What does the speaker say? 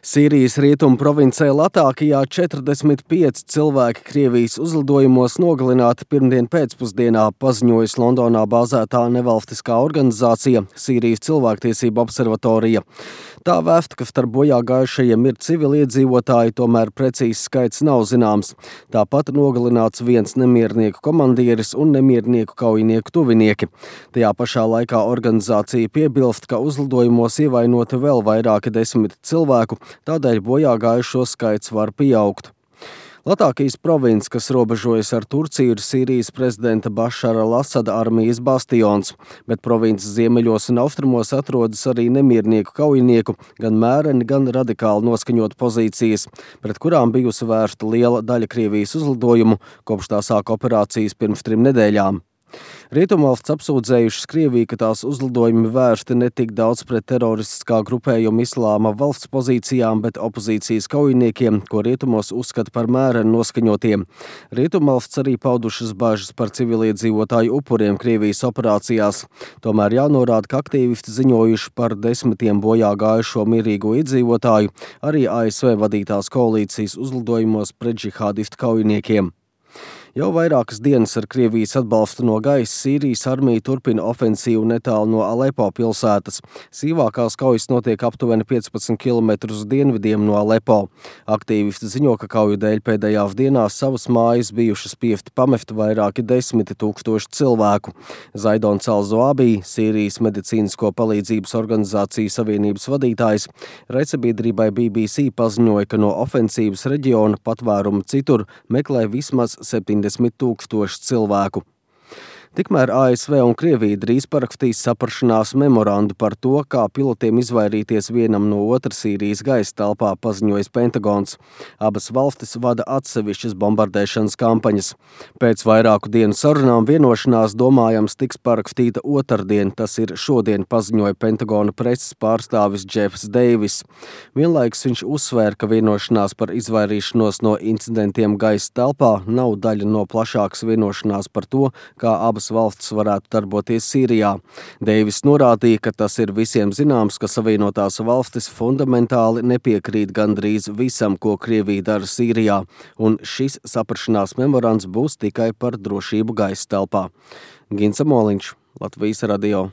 Sīrijas rietumu provincē Latākijā 45 cilvēki Krievijas uzlidojumos nogalināti pirmdien pēcpusdienā, paziņojas Londonā bāzētā nevalstiskā organizācija Sīrijas cilvēktiesību observatorija. Tā vēsta, ka starp bojā gājušajiem ir civiliedzīvotāji, tomēr precīzs skaits nav zināms. Tāpat nogalināts viens nemiernieku komandieris un nemiernieku kaujinieku tuvinieki. Tajā pašā laikā organizācija piebilst, ka uzlidojumos ievainoti vēl vairāki 10 cilvēku, tādēļ bojā gājušo skaits var pieaugt. Latākijas province, kas robežojas ar Turciju, ir Sīrijas prezidenta Bašara al-Asada armijas bastions, bet provinces ziemeļos un austrumos atrodas arī nemiernieku kaujinieku, gan mēreni, gan radikāli noskaņot pozīcijas, pret kurām bijusi vērsta liela daļa Krievijas uzlidojumu, kopš tā sāka operācijas pirms 3 nedēļām. Rietumvalsts apsūdzējušas Krieviju, ka tās uzlidojumi vērsti ne tik daudz pret teroristiskā grupējuma Islāma valsts pozīcijām, bet opozīcijas kaujiniekiem, ko rietumos uzskata par mēreni noskaņotiem. Rietumvalsts arī paudušas bažas par civiliedzīvotāju upuriem Krievijas operācijās. Tomēr jānorāda, ka aktīvisti ziņojuši par 10 bojā gājušo mierīgo iedzīvotāju arī ASV vadītās koalīcijas uzlidojumos pret džihādistu kaujiniekiem. Jau vairākas dienas ar Krievijas atbalstu no gaisa Sīrijas armija turpina ofensīvu netālu no Alepo pilsētas. Sīvākās kaujas notiek aptuveni 15 km uz dienvidiem no Alepo. Aktīvisti ziņo, ka kauju dēļ pēdējās dienās savas mājas bijuši spiesti pamest vairāki 10 000 cilvēku. Zaidons al-Zoabī, Sīrijas medicīnisko palīdzības organizācijas savienības vadītājs, raidsabiedrībai BBC paziņoja, ka no ofensīvas reģiona patvērumu citur meklē vismaz 70 000 cilvēku. Tikmēr ASV un Krievija drīz parakstīs saprašanās memorandu par to, kā pilotiem izvairīties vienam no otra Sīrijas gaisa telpā, paziņojas Pentagons. Abas valstis vada atsevišķas bombardēšanas kampaņas. Pēc vairāku dienu sarunām vienošanās domājams tiks parakstīta otrdien, tas ir šodien, paziņoja Pentagona preses pārstāvis Jeffs Deivis. Vienlaikus viņš uzsvēra, ka vienošanās par izvairīšanos no incidentiem gaisa telpā nav daļa no plašākas vienošanās par to, kā abas valstis varētu darboties Sīrijā. Deivis norādīja, ka tas ir visiem zināms, ka Savienotās valstis fundamentāli nepiekrīt gandrīz visam, ko Krievija dara Sīrijā, un šis saprašanās memorands būs tikai par drošību gaisa telpā. Gins Amoliņš, Latvijas radio.